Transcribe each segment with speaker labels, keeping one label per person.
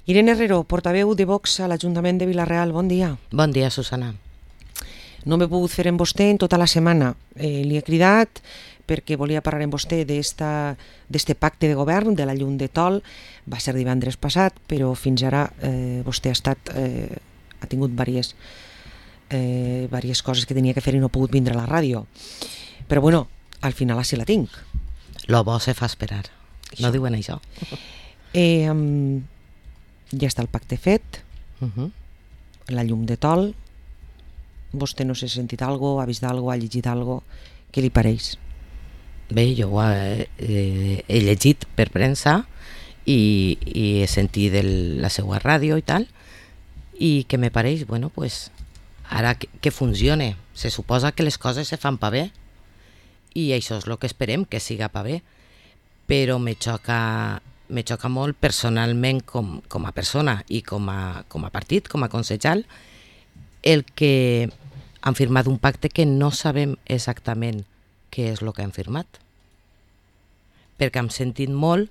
Speaker 1: Irene Herrero, portaveu de Vox a l'Ajuntament de Vila-real, bon dia.
Speaker 2: Bon dia, Susana.
Speaker 1: No m'he pogut fer amb vostè en tota la setmana. Li he cridat perquè volia parlar amb vostè d'este pacte de govern de la llum de Tol. Va ser divendres passat, però fins ara vostè ha tingut diverses coses que tenia que fer i no ha pogut vindre a la ràdio. Però bueno, al final sí la tinc.
Speaker 2: Lo bo se fa esperar. No diuen això.
Speaker 1: Ja està el pacte fet, la llum de Tol. Vostè no s'ha sentit alguna cosa, ha vist alguna cosa, ha llegit alguna cosa. Què li pareix?
Speaker 2: Bé, jo ho he llegit per premsa i he sentit la seva ràdio i tal, i que me pareix, bueno, pues, ara que funcione. Se suposa que les coses se fan pa bé i això és el que esperem, que siga pa bé, però me xoca molt personalment com a persona i com a partit, com a consellal, el que han firmat un pacte que no sabem exactament què és el que han firmat. Perquè hem sentit molt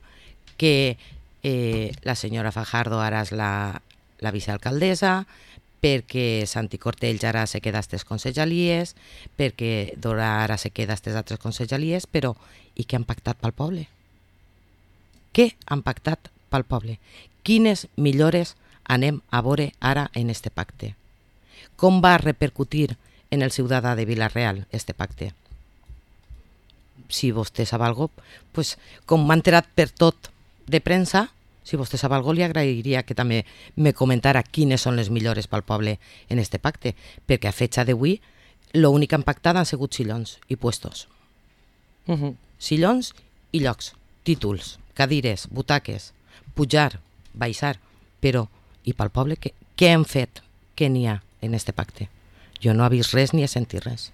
Speaker 2: que la senyora Fajardo ara és la vicealcaldessa, perquè Santi Cortells ara se queda a aquestes consellalies, perquè Dora ara se queda a aquestes altres consellalies, però i què han pactat pel poble? Què han pactat pel poble? Quines millores anem a veure ara en este pacte? Com va repercutir en el ciutadà de Vila-real este pacte? Si vostè sap alguna cosa, pues, com m'ha enterat per tot de premsa, si vostè sap alguna cosa, li agrairia que també me comentara quines són les millores pel poble en este pacte, perquè a fetge d'avui l'únic que han pactat han sigut sillons i puestos. Sillons i llocs, títols, cadires, butaques, pujar, baixar, però i pel poble què hem fet? Què n'hi ha en este pacte? Jo no he vist res ni he sentit res.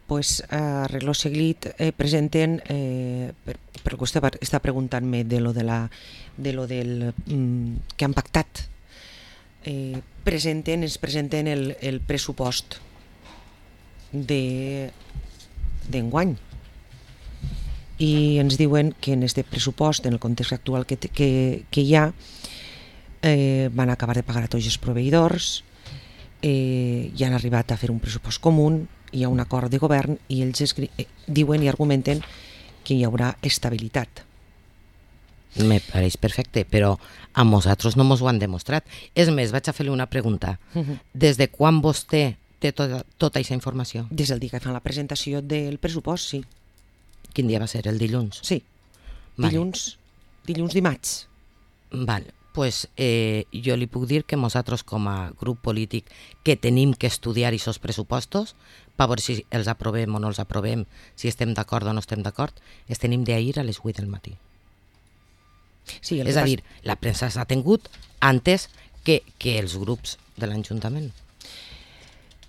Speaker 1: Pues a reloj seguit presenten, per que vostè està preguntant-me de lo del que han pactat, ens presenten el pressupost d'enguany i ens diuen que en este pressupost, en el context actual que hi ha, van acabar de pagar a tots els proveïdors, ja han arribat a fer un pressupost comú, hi ha un acord de govern i ells diuen i argumenten que hi haurà estabilitat.
Speaker 2: Me pareix perfecte, però a nosaltres no ens ho han demostrat. És més, vaig a fer-li una pregunta. Des de quan vostè té tota aquesta informació?
Speaker 1: Des del dia que fan la presentació del pressupost, sí.
Speaker 2: Quin dia va ser? El dilluns?
Speaker 1: Sí, dilluns dimarts.
Speaker 2: Val, pues jo li puc dir que nosaltres com a grup polític que tenim que estudiar aquests pressupostos per veure si els aprovem o no els aprovem, si estem d'acord o no estem d'acord, els tenim d'ahir a les 8 del matí.
Speaker 1: Sí,
Speaker 2: és a dir, la premsa s'ha tingut antes que els grups de l'Ajuntament.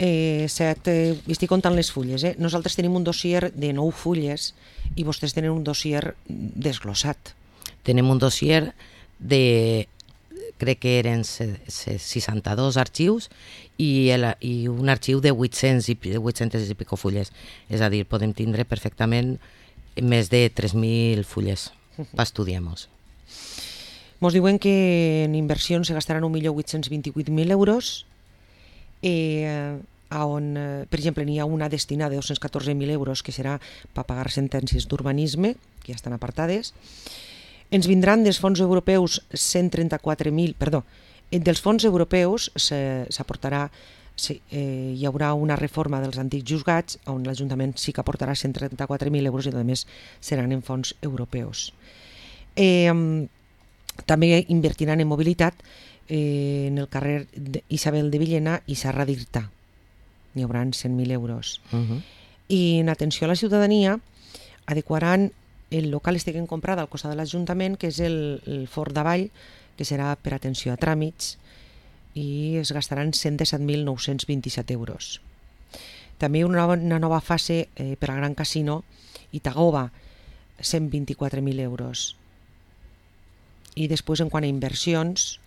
Speaker 1: Estic comptant les fulles. Nosaltres tenim un dossier de 9 fulles i vostès tenen un dossier desglossat.
Speaker 2: Tenim un dossier de, crec que eren 62 arxius i un arxiu de 800 i pico fulles. És a dir, podem tindre perfectament més de 3.000 fulles per estudiar-nos.
Speaker 1: Ens diuen que en inversions se gastaran 1.828.000 euros, on, per exemple, n'hi ha una destinada de 214.000 euros que serà per pagar sentències d'urbanisme, que ja estan apartades. Ens vindran dels fons europeus 134.000, perdó, dels fons europeus s'aportarà, hi haurà una reforma dels antics juzgats on l'Ajuntament sí que aportarà 134.000 euros i a més seran en fons europeus. També invertiran en mobilitat en el carrer Isabel de Villena i Serra d'Irta. N'hi haurà 100.000 euros. I en atenció a la ciutadania adequaran el local que han comprat al costat de l'Ajuntament, que és el Fort d'Avall, que serà per atenció a tràmits, i es gastaran 117.927 euros. També una nova fase per al Gran Casino Itagova, 124.000 euros. I després, en quant a inversions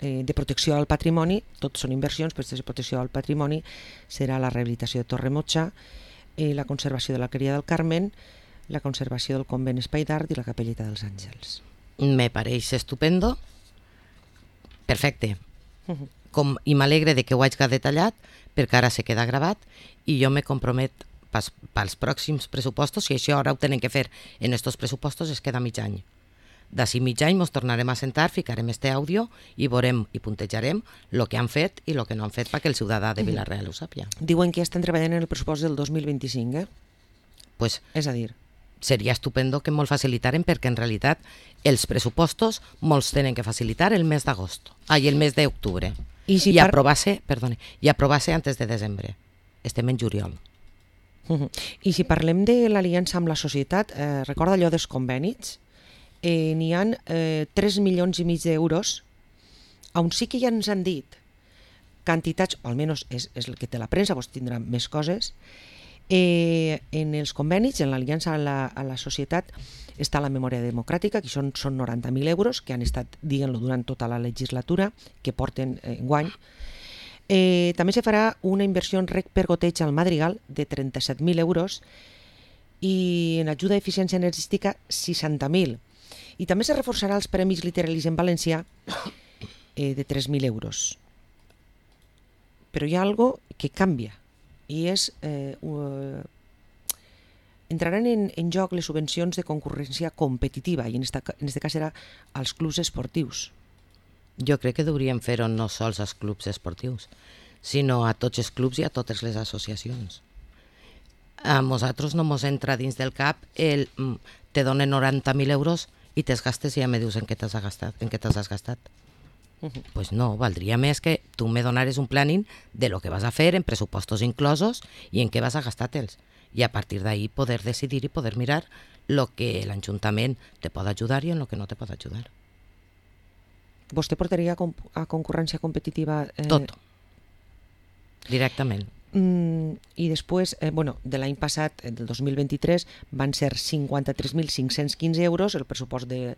Speaker 1: de protecció al patrimoni, tot són inversions, però de protecció al patrimoni serà la rehabilitació de Torre Motxa, la conservació de l'Alqueria del Carmen, la conservació del convent Espai d'Art i la Capelleta dels Àngels.
Speaker 2: me pareix estupendo, perfecte. I m'alegre de que ho hagi detallat, perquè ara se queda gravat, i jo me compromet pels pròxims pressupostos, si això ara ho tenen que fer en estos pressupostos, es queda mig any. D'ací mig any ens tornarem a sentar, ficarem este àudio i veurem i puntejarem el que han fet i el que no han fet perquè el ciutadà de Vila-real ho sàpia.
Speaker 1: Diuen que estan treballant en el pressupost del 2025,
Speaker 2: Pues
Speaker 1: És a dir,
Speaker 2: seria estupendo que me'l facilitaren, perquè en realitat els pressupostos molts tenen que facilitar el mes d'agost, el mes d'octubre, i aprovar-se antes de desembre. Estem en juliol.
Speaker 1: I si parlem de l'aliança amb la societat, recorda allò dels convenis? N'hi ha 3 milions i mig d'euros, on sí que ja ens han dit quantitats, o almenys és el que té la premsa, vos tindrà més coses, en els convenis, en l'aliança a la societat, està la memòria democràtica, que són 90.000 euros, que han estat, diguem-lo, durant tota la legislatura, que porten enguany. També se farà una inversió en rec per goteig al Madrigal de 37.000 euros i en ajuda d'eficiència energètica 60.000. I també se reforçarà els premis literaris en valencià de 3.000 euros. Però hi ha algo que canvia i és entraran en joc les subvencions de concurrència competitiva i en este cas serà als clubs esportius.
Speaker 2: Jo crec que hauríem fer-ho no sols als clubs esportius, sinó a tots els clubs i a totes les associacions. A nosaltres no ens entra dins del cap te donen 90.000 euros i te'ls gastes i ja me dius en què te'ls has gastat. Pues no, valdria més que tu me donares un planning de lo que vas a fer en pressupostos inclosos i en què vas a gastar-te'ls. I a partir d'ahí poder decidir i poder mirar lo que l'Ajuntament te pot ajudar i en lo que no te pot ajudar.
Speaker 1: Vostè portaria a concurrència competitiva?
Speaker 2: Tot. Directament.
Speaker 1: I després, de l'any passat, del 2023, van ser 53.515 euros el pressupost de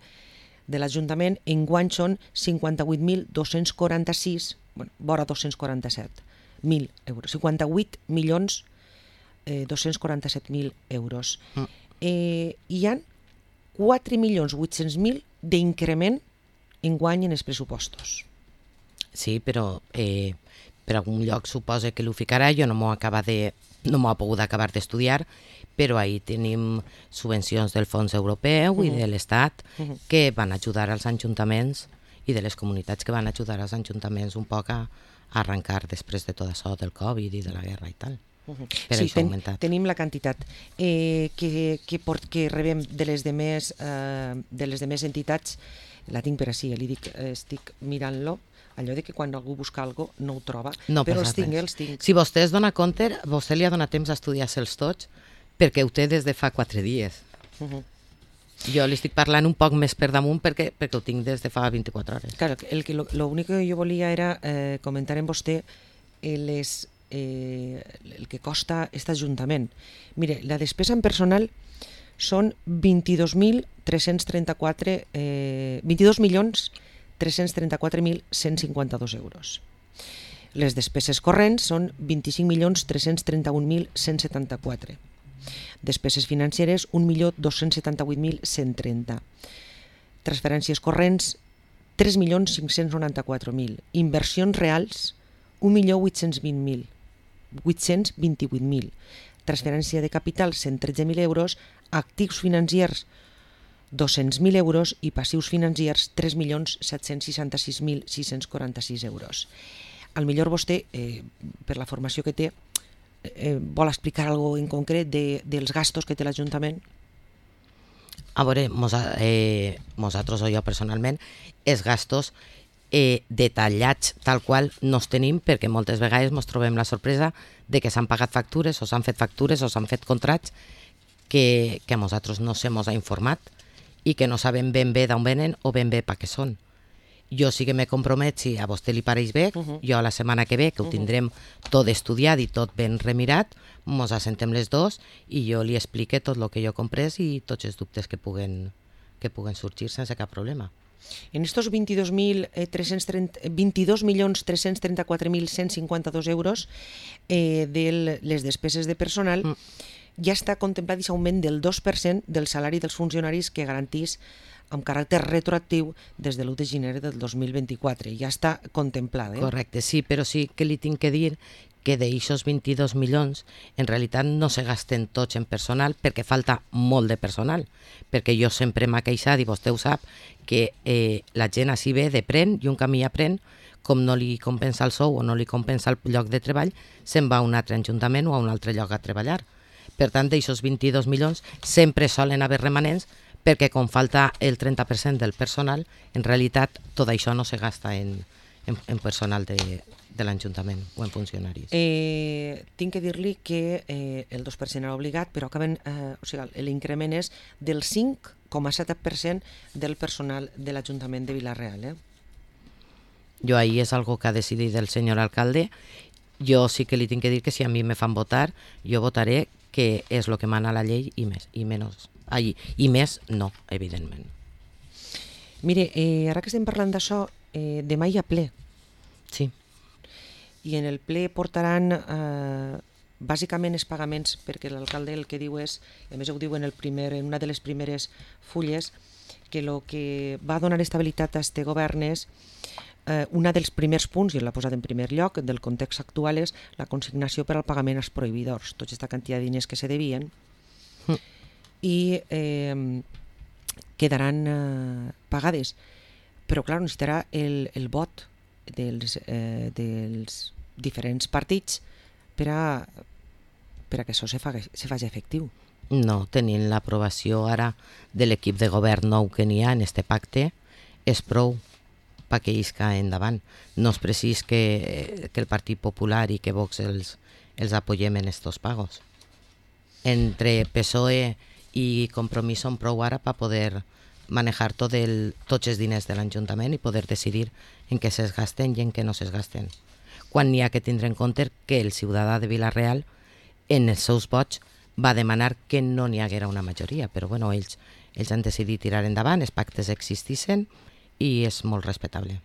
Speaker 1: l'Ajuntament. Enguany són 58.246, vora 247.000 euros, 58.247.000 euros. Hi ha 4.800.000 d'increment enguany en els pressupostos.
Speaker 2: Sí, però per algun lloc suposa que l'ho ficarà, jo no m'ho he pogut acabar d'estudiar, però ahí tenim subvencions del Fons Europeu i de l'Estat que van ajudar als ajuntaments i de les comunitats que van ajudar als ajuntaments un poc a arrencar després de tot això del Covid i de la guerra i tal.
Speaker 1: Sí, tenim la quantitat que rebem de les demés entitats, la tinc per ací, li dic, estic mirant-lo, allò de que quan algú busca alguna cosa no ho troba, però els tinc.
Speaker 2: Si vostè es dona compte, vostè li ha donat temps a estudiar-se'ls tots, perquè ho té des de fa 4 dies. Jo li estic parlant un poc més per damunt perquè ho tinc des de fa 24 hores.
Speaker 1: Claro, l'únic que jo volia era comentar amb vostè el que costa aquest Ajuntament. Mire, la despesa en personal són 22.334.152 euros. Les despeses corrents són 25.331.174. Despeses financeres 1.278.130. Transferències corrents 3.594.000. Inversions reals 1.828.000. Transferència de capital 113.000 euros. Actius financiers 200.000 euros i passius financiers 3.766.646 euros. Al millor vostè, per la formació que té, vol explicar alguna cosa en concret dels gastos que té l'Ajuntament?
Speaker 2: A veure, nosaltres o jo personalment, els gastos detallats tal qual no els tenim, perquè moltes vegades ens trobem la sorpresa de que s'han pagat factures o s'han fet factures o s'han fet contrats que a nosaltres no se mos ha informat i que no sabem ben bé d'on venen o ben bé per què són. Jo sí que me compromet, si a vostè li pareix bé, jo la setmana que ve, que ho tindrem tot estudiat i tot ben remirat, mos assentem les dos i jo li explique tot el que jo he comprès i tots els dubtes que puguen sorgir sense cap problema.
Speaker 1: En estos 22.334.152 euros de les despeses de personal, ja està contemplat aquest augment del 2% del salari dels funcionaris que garantís amb caràcter retroactiu des de l'1 de gener del 2024. Ja està contemplat.
Speaker 2: Correcte, sí, però sí que li tinc que dir que d'aixòs 22 milions en realitat no se gasten tots en personal perquè falta molt de personal, perquè jo sempre m'ha queixat, i vostè ho sap, que la gent així ve de pren i un camí aprèn, com no li compensa el sou o no li compensa el lloc de treball, se'n va a un altre ajuntament o a un altre lloc a treballar. Per tant, d'aixòs 22 milions sempre solen haver remanents perquè com falta el 30% del personal, en realitat tot això no se gasta en personal de l'Ajuntament o en funcionaris.
Speaker 1: Tinc que dir-li que el 2% era obligat, però acaben, l'increment és del 5,7% del personal de l'Ajuntament de Vila-real.
Speaker 2: Jo ahí és algo que ha decidit el senyor alcalde. Jo sí que li tinc que dir que si a mi me fan votar, jo votaré que és el que mana la llei i més no, evidentment.
Speaker 1: Mire, ara que estem parlant d'això, demà hi ha ple.
Speaker 2: Sí.
Speaker 1: I en el ple portaran bàsicament els pagaments, perquè l'alcalde el que diu és, a més ho diu en una de les primeres fulles, que el que va donar estabilitat a este govern és un dels primers punts, i l'ha posat en primer lloc, del context actual és la consignació per al pagament als prohibidors, tota aquesta quantitat de diners que se devien, i quedaran pagades. Però, clar, necessitarà el vot dels diferents partits per a que això se faci efectiu.
Speaker 2: No, tenint l'aprovació ara de l'equip de govern nou que n'hi ha en este pacte, és prou perquè isca endavant. No és precís que el Partit Popular i que Vox els apoyem en estos pagos. Entre PSOE i Compromís són prou ara per poder manejar tots els diners de l'Ajuntament i poder decidir en què es gasten i en què no es gasten. Quan n'hi ha que tindre en compte que el ciutadà de Vila-real en els seus vots va demanar que no n'hi haguera una majoria, però bueno, ells han decidit tirar endavant, els pactes existissin i és molt respectable.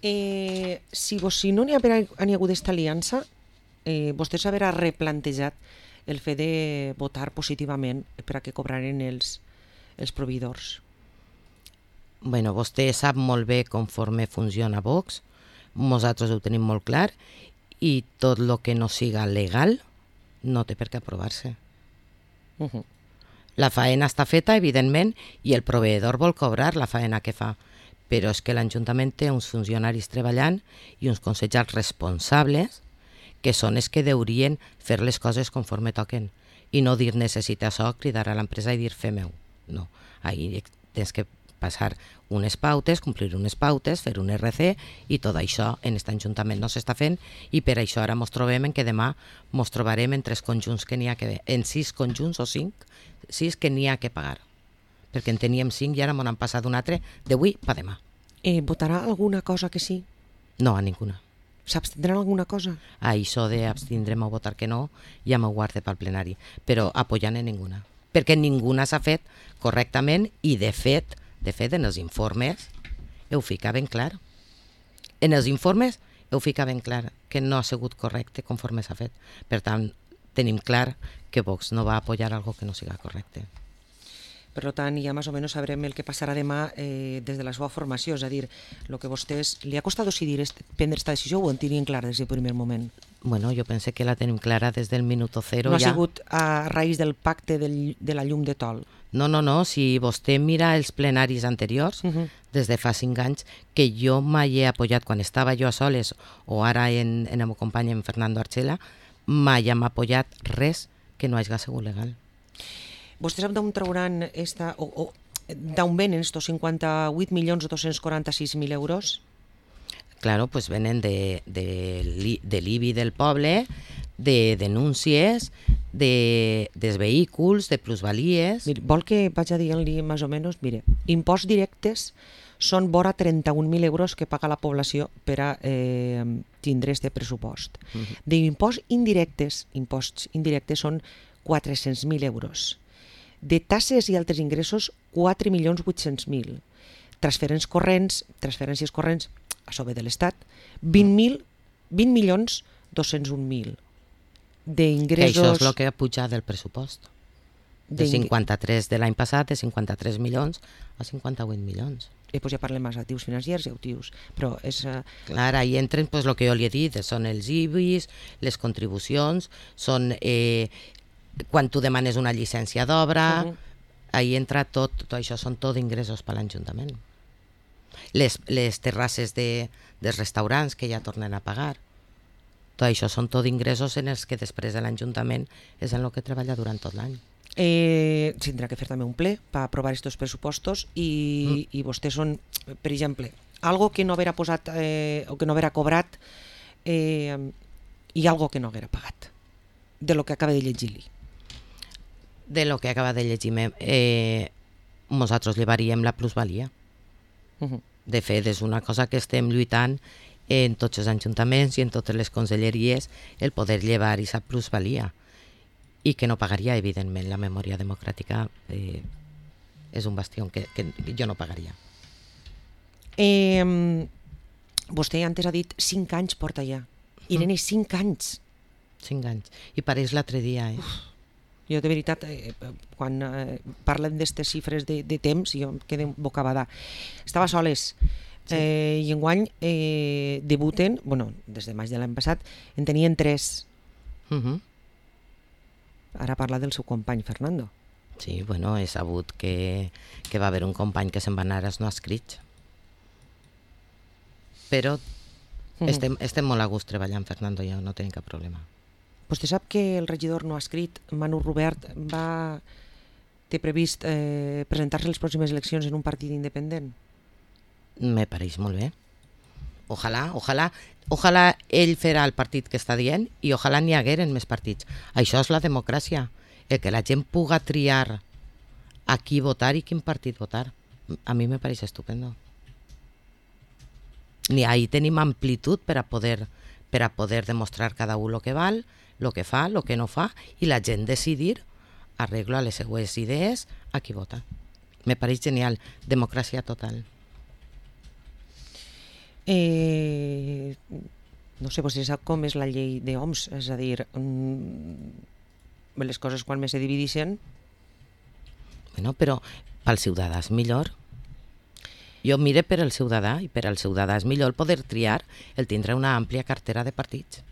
Speaker 1: Si no n'hi ha hagut aquesta aliança, vostè s'haurà replantejat el fet de votar positivament per a que cobraren els proveïdors.
Speaker 2: Bueno, vostè sap molt bé conforme funciona Vox, nosaltres ho tenim molt clar, i tot el que no siga legal no té per què aprovar-se. La faena està feta, evidentment, i el proveïdor vol cobrar la faena que fa, però és que l'Ajuntament té uns funcionaris treballant i uns consellers responsables que són els que deurien fer les coses conforme toquen i no dir necessita això, cridar a l'empresa i dir fem-ho. No, ahí tens que passar unes pautes, complir unes pautes, fer un RC i tot això en aquest Ajuntament no s'està fent i per això ara ens trobem en que demà ens trobarem en 3 conjunts que n'hi ha que en 6 conjunts o 5, 6 que n'hi ha que pagar, perquè en teníem 5 i ara m'ho han passat un altre d'avui per demà.
Speaker 1: Votarà alguna cosa que sí?
Speaker 2: No, a ninguna.
Speaker 1: S'abstindrà alguna cosa?
Speaker 2: A això d'abstindrem o votar que no ja m'ho guarde pel plenari, però apoyant en ninguna, perquè ninguna s'ha fet correctament i de fet en els informes ho fica ben clar. En els informes ho fica ben clar que no ha sigut correcte conforme s'ha fet. Per tant, tenim clar que Vox no va apoyar algo que no siga correcte.
Speaker 1: Per tant, ja més o menys sabrem el que passarà demà des de la seva formació, és a dir, el que vostès... Li ha costat decidir prendre aquesta decisió o ho en tenien clar des del primer moment?
Speaker 2: Bueno, jo pense que la tenim clara des del minuto cero.
Speaker 1: No ha sigut a raïs del pacte de la llum de tol?
Speaker 2: No, si vostè mira els plenaris anteriors, des de fa 5 anys, que jo mai he apoyat, quan estava jo a soles o ara en el meu company en Fernando Archela, mai hem apoyat res que no hagi sigut legal.
Speaker 1: Vostè sap d'on trauran d'on venen estos 58.246.000 euros?
Speaker 2: Claro, pues venen de l'IBI del poble, de denúncies, dels vehicles, de plusvalies...
Speaker 1: Mire, vol que vaig a dir-li més o menys? Mire, imposts directes són vora 31.000 euros que paga la població per a tindre este pressupost. D'imposts indirectes són 400.000 euros. De tasses i altres ingressos, 4.800.000. Transferències corrents, això ve de l'Estat, 20.201.000. d'ingressos...
Speaker 2: Que això és el que ha pujat del pressupost. De 53 de l'any passat, de 53 milions a 58 milions.
Speaker 1: Pues ja parlem més actius financers i actius, però és...
Speaker 2: Clar, ahí entren pues, el que jo li he dit, són els IBIs, les contribucions, són quan tu demanes una llicència d'obra, ahí entra tot això, són tot ingressos per l'Ajuntament. Les terrasses dels restaurants que ja tornen a pagar, tot això són tot ingressos en els que després de l'Ajuntament és en el que treballa durant tot l'any.
Speaker 1: Tindrà que fer també un ple per aprovar aquests pressupostos i vostès són, per exemple, algo que no haurà posat o que no haurà cobrat i algo que no haurà pagat de lo que acaba de llegir-li.
Speaker 2: De lo que acaba de llegir-me, nosaltres llevaríem la plusvalia. De fet, és una cosa que estem lluitant en tots els ajuntaments i en totes les conselleries, el poder llevar aquesta plusvalia. I que no pagaria, evidentment, la memòria democràtica és un bastió que jo no pagaria.
Speaker 1: Vostè antes ha dit 5 anys porta ja. Irene, 5 anys.
Speaker 2: 5 anys. I pareix l'altre dia,
Speaker 1: Jo, de veritat, quan parlen d'aquestes xifres de temps, jo em quedo bocabadà. Estava soles. I enguany debuten, des de maig de l'any passat, en tenien 3. Ara parla del seu company, Fernando.
Speaker 2: Sí, he sabut que va haver un company que se'n va anar als no escrits. Però estem molt a gust treballant, Fernando i jo, no tenim cap problema.
Speaker 1: Vostè sap que el regidor no escrit, Manu Robert, té previst presentar-se a les pròximes eleccions en un partit independent?
Speaker 2: Me pareix molt bé. Ojalà ell farà el partit que està dient i ojalà n'hi hagueren més partits. Això és la democràcia, el que la gent puga triar a qui votar i quin partit votar. A mi me pareix estupendo. Ni ahí tenim amplitud per a poder demostrar cada un el que val, el que fa, el que no fa, i la gent decidir arreglo a les seues idees a qui vota. Me pareix genial. Democràcia total.
Speaker 1: No sé, vostè sap com és la llei d'OMS, és a dir, les coses quan més se divideixen...
Speaker 2: Però pel ciutadà és millor. Jo mire per al ciutadà, i per al ciutadà és millor poder triar el tindre una àmplia cartera de partits.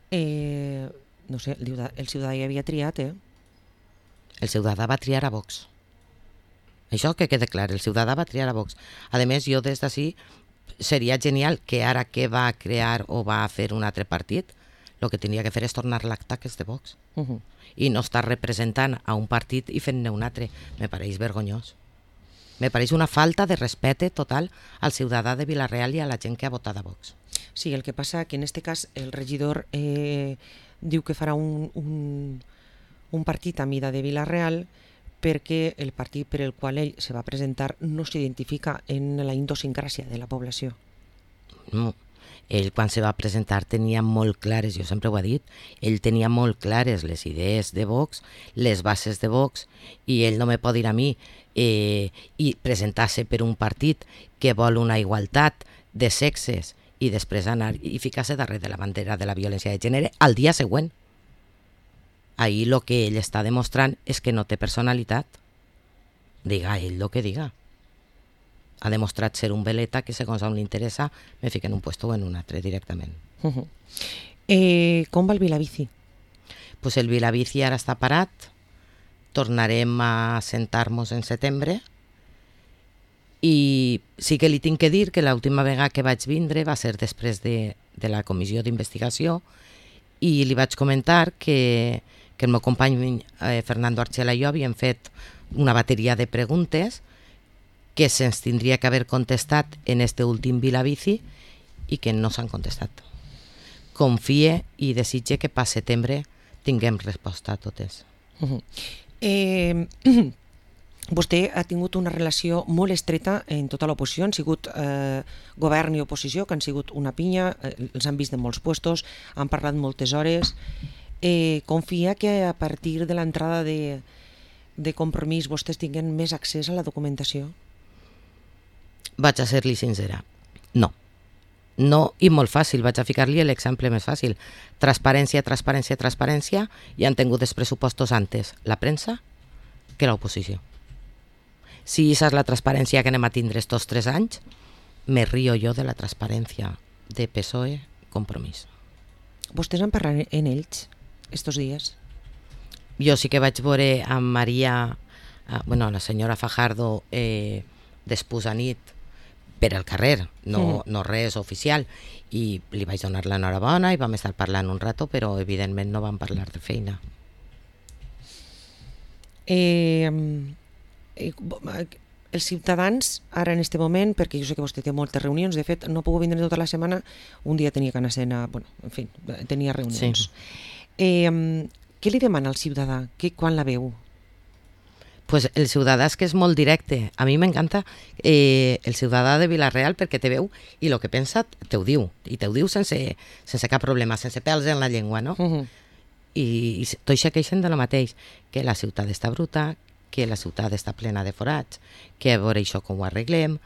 Speaker 1: No sé, el ciutadà ja havia triat,
Speaker 2: El ciutadà va triar a Vox. Això que quede clar, el ciutadà va triar a Vox. A més, jo des d'ací seria genial que ara que va crear o va fer un altre partit, el que tindria que fer és tornar l'acta que és de Vox. I no estar representant a un partit i fent-ne un altre. Me pareix vergonyós. Me pareix una falta de respecte total al ciutadà de Vila-real i a la gent que ha votat a Vox.
Speaker 1: Sí, el que passa que en este cas el regidor diu que farà un partit a mida de Vila-real perquè el partit per el qual ell se va presentar no s'identifica en la idiosincràsia de la població.
Speaker 2: No, ell quan se va presentar tenia molt clares, jo sempre ho he dit, ell tenia molt clares les idees de Vox, les bases de Vox, i ell no me pot dir a mi i presentar-se per un partit que vol una igualtat de sexes i després anar i ficar-se darrere de la bandera de la violència de gènere al dia següent. Ahí lo que ell està demostrant és que no té personalitat. Diga ell lo que diga. Ha demostrat ser un veleta que segons a on li interessa me fica en un puesto o en un altre directament.
Speaker 1: Com va el Vilabici?
Speaker 2: Pues el Vilabici ara està parat. Tornarem a sentar-nos en setembre. I sí que li tinc que dir que l'última vegada que vaig vindre va ser després de la comissió d'investigació i li vaig comentar que el meu company Fernando Archela i jo havíem fet una bateria de preguntes que se'ns tindria que haver contestat en este últim Vilabici i que no s'han contestat. Confie i desitge que per setembre tinguem resposta a totes.
Speaker 1: Vostè ha tingut una relació molt estreta en tota l'oposició, han sigut govern i oposició, que han sigut una pinya, els han vist en molts puestos, han parlat moltes hores. Confia que a partir de l'entrada de Compromís vostès tinguen més accés a la documentació?
Speaker 2: Vaig a ser-li sincera. No. No, i molt fàcil, vaig a ficar-li l'exemple més fàcil. Transparència, transparència, transparència, i han tingut els pressupostos antes la premsa que l'oposició. Si aquesta és la transparència que anem a tindre estos 3 anys, me río jo de la transparència de PSOE Compromís.
Speaker 1: Vostès han parlat en ells estos dies?
Speaker 2: Jo sí que vaig veure amb Maria, la senyora Fajardo, després a nit, per el carrer, no res oficial, i li vaig donar l'enhorabona i vam estar parlant un rato, però evidentment no vam parlar de feina.
Speaker 1: Els ciutadans, ara en este moment, perquè jo sé que vostè té moltes reunions, de fet no puc vindre tota la setmana, un dia tenia que anar en fi, tenia reunions. Sí. Què li demana al ciutadà quan la veu?
Speaker 2: Pues el ciutadà és que és molt directe. A mi m'encanta el ciutadà de Vila-real perquè te veu i el que pensa te ho diu. I te ho diu sense cap problema, sense pèls en la llengua, no? I tots se queixen de lo mateix, que la ciutat està bruta, que la ciutat està plena de forats, que a veure això com ho arreglem,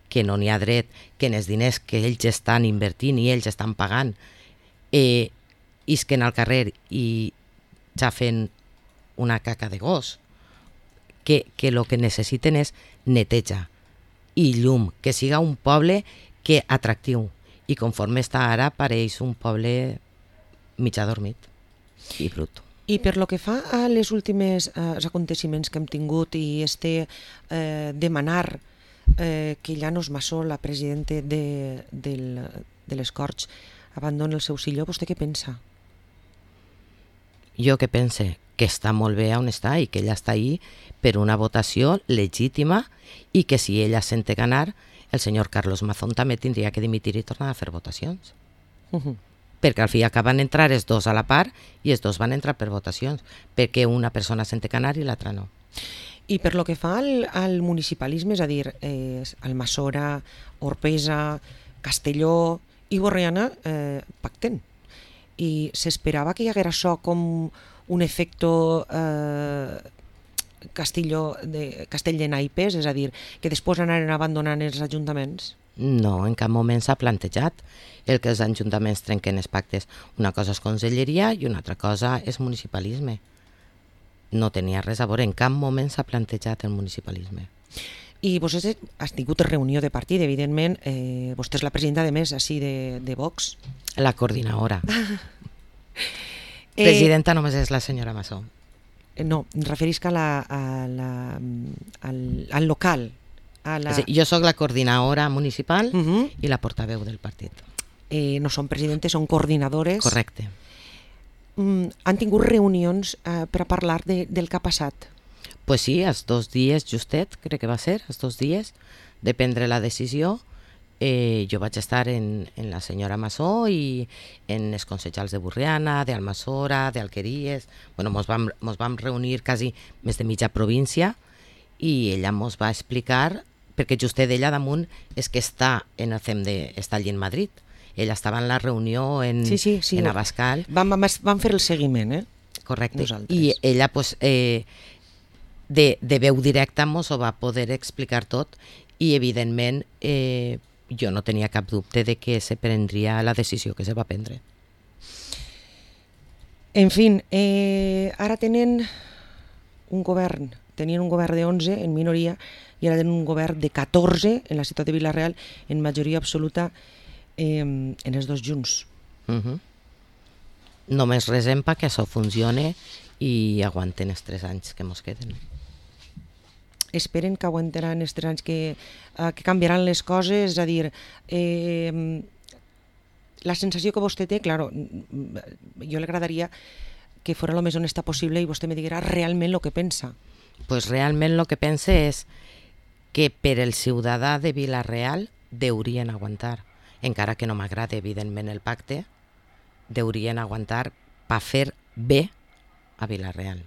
Speaker 2: que no n'hi ha dret, que en els diners que ells estan invertint i ells estan pagant isquen al carrer i ja fent una caca de gos, que el que necessiten és neteja i llum, que siga un poble que atractiu, i conforme està ara pareix un poble mig adormit i brut.
Speaker 1: I per lo que fa a les últimes aconteciments que hem tingut i demanar que Llanos Massó, la presidenta de les Corts, abandoni el seu silló, vostè què pensa?
Speaker 2: Jo que pense que està molt bé on està i que ella està ahí per una votació legítima i que si ella sente ganar, el senyor Carlos Mazón també tindria que dimitir i tornar a fer votacions. Perquè al fi acaben entrar els dos a la part i els dos van entrar per votacions, perquè una persona sente ganar i l'altra no.
Speaker 1: I per lo que fa al municipalisme, és a dir, Almassora, Orpesa, Castelló i Borriana pacten. I s'esperava que hi haguera això com un efecte castell de naipes, és a dir, que després anaren abandonant els ajuntaments?
Speaker 2: No, en cap moment s'ha plantejat el que els ajuntaments trenquen els pactes. Una cosa és conselleria i una altra cosa és municipalisme. No tenia res a veure, en cap moment s'ha plantejat el municipalisme.
Speaker 1: I vostè has tingut reunió de partit, evidentment, vostè és la presidenta de més així de Vox.
Speaker 2: La coordinadora. Presidenta només és la senyora Massó.
Speaker 1: No, em referisc al local.
Speaker 2: Jo sóc la coordinadora municipal i la portaveu del partit.
Speaker 1: No són presidentes, són coordinadores.
Speaker 2: Correcte.
Speaker 1: Han tingut reunions per a parlar del que ha passat?
Speaker 2: Pues sí, els 2 dies justet, crec que va ser, els 2 dies de prendre la decisió. Jo vaig estar en la senyora Massó i en els consellers de Borriana, d'Almassora, d'Alqueries. Mos vam reunir quasi més de mitja província i ella mos va explicar, perquè justet d'ella damunt és que està en el CEM està allí en Madrid. Ella estava en la reunió en Abascal.
Speaker 1: Vam fer el seguiment,
Speaker 2: Correcte.
Speaker 1: Nosaltres.
Speaker 2: I ella, pues, de veu directa mos ho va poder explicar tot i, evidentment, jo no tenia cap dubte de que se prendria la decisió que se va prendre.
Speaker 1: En fi, ara tenien un govern de 11 en minoria i ara tenen un govern de 14 en la ciutat de Vila-real en majoria absoluta en els dos junts.
Speaker 2: Només resem perquè això funcione i aguanten els 3 anys que mos queden.
Speaker 1: Esperen que aguantaran els 3 anys que canviaran les coses, és a dir, la sensació que vostè té, clar, jo li agradaria que fos el més honesta possible i vostè me diguera realment el que pensa.
Speaker 2: Pues realment el que pense és que per el ciutadà de Vila-real deurien aguantar, encara que no m'agrada evidentment el pacte, deurien aguantar per fer bé a Vila-real.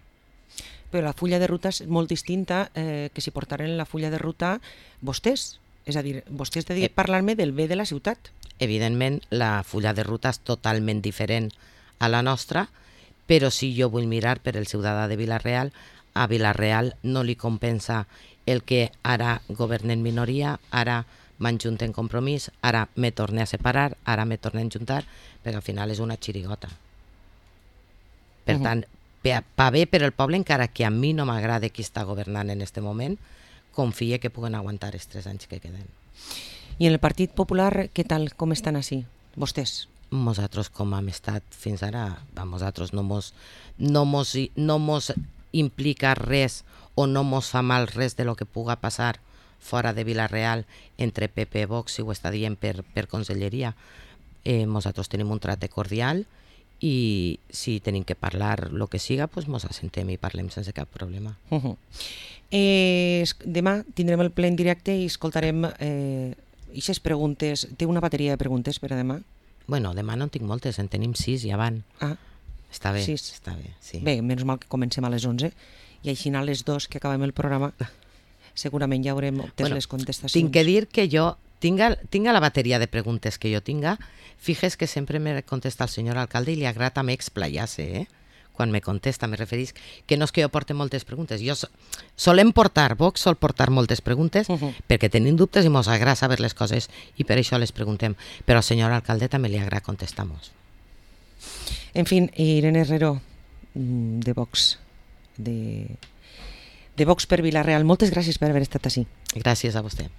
Speaker 1: Però la fulla de ruta és molt distinta que si portaren la fulla de ruta vostès. És a dir, vostès dediquen a parlar-me del bé de la ciutat.
Speaker 2: Evidentment, la fulla de ruta és totalment diferent a la nostra, però si jo vull mirar per el ciutadà de Vila-real, a Vila-real no li compensa el que ara governen minoria, ara m'enjunte en Compromís, ara me torne a separar, ara me torne a enjuntar, perquè al final és una xirigota. Per tant, va bé per el poble, encara que a mi no m'agrada qui està governant en este moment, confie que puguen aguantar els 3 anys que queden.
Speaker 1: I en el Partit Popular, què tal, com estan així, vostès?
Speaker 2: Nosaltres, com hem estat fins ara, nosaltres no mos implica res o no mos fa mal res de lo que puga passar fora de Vila-real entre PP i Vox, si ho està dient per conselleria. Nosaltres tenim un tracte cordial i si tenim que parlar el que siga, doncs mos assentem i parlem sense cap problema.
Speaker 1: Demà tindrem el ple en directe i escoltarem aquestes preguntes. Té una bateria de preguntes per a demà?
Speaker 2: Bueno, demà no en tinc moltes, en tenim 6 ja van.
Speaker 1: Ah,
Speaker 2: està bé,
Speaker 1: 6.
Speaker 2: està bé, sí.
Speaker 1: Bé, menys mal que comencem a les 11 i així a les 2 que acabem el programa segurament ja haurem obtès les contestacions.
Speaker 2: Tinc que dir que jo tinga la bateria de preguntes que jo tinga, fijes que sempre me contesta el senyor alcalde i li agrada també explayar-se, quan me contesta, me referís que no és que jo porte moltes preguntes, Vox sol portar moltes preguntes perquè tenim dubtes i mos agrada saber les coses i per això les preguntem, però al senyor alcalde també li agrada contestar-nos.
Speaker 1: En fin, Irene Herrero, de Vox, de Vox per Vila-real, moltes gràcies per haver estat així.
Speaker 2: Gràcies a vostè.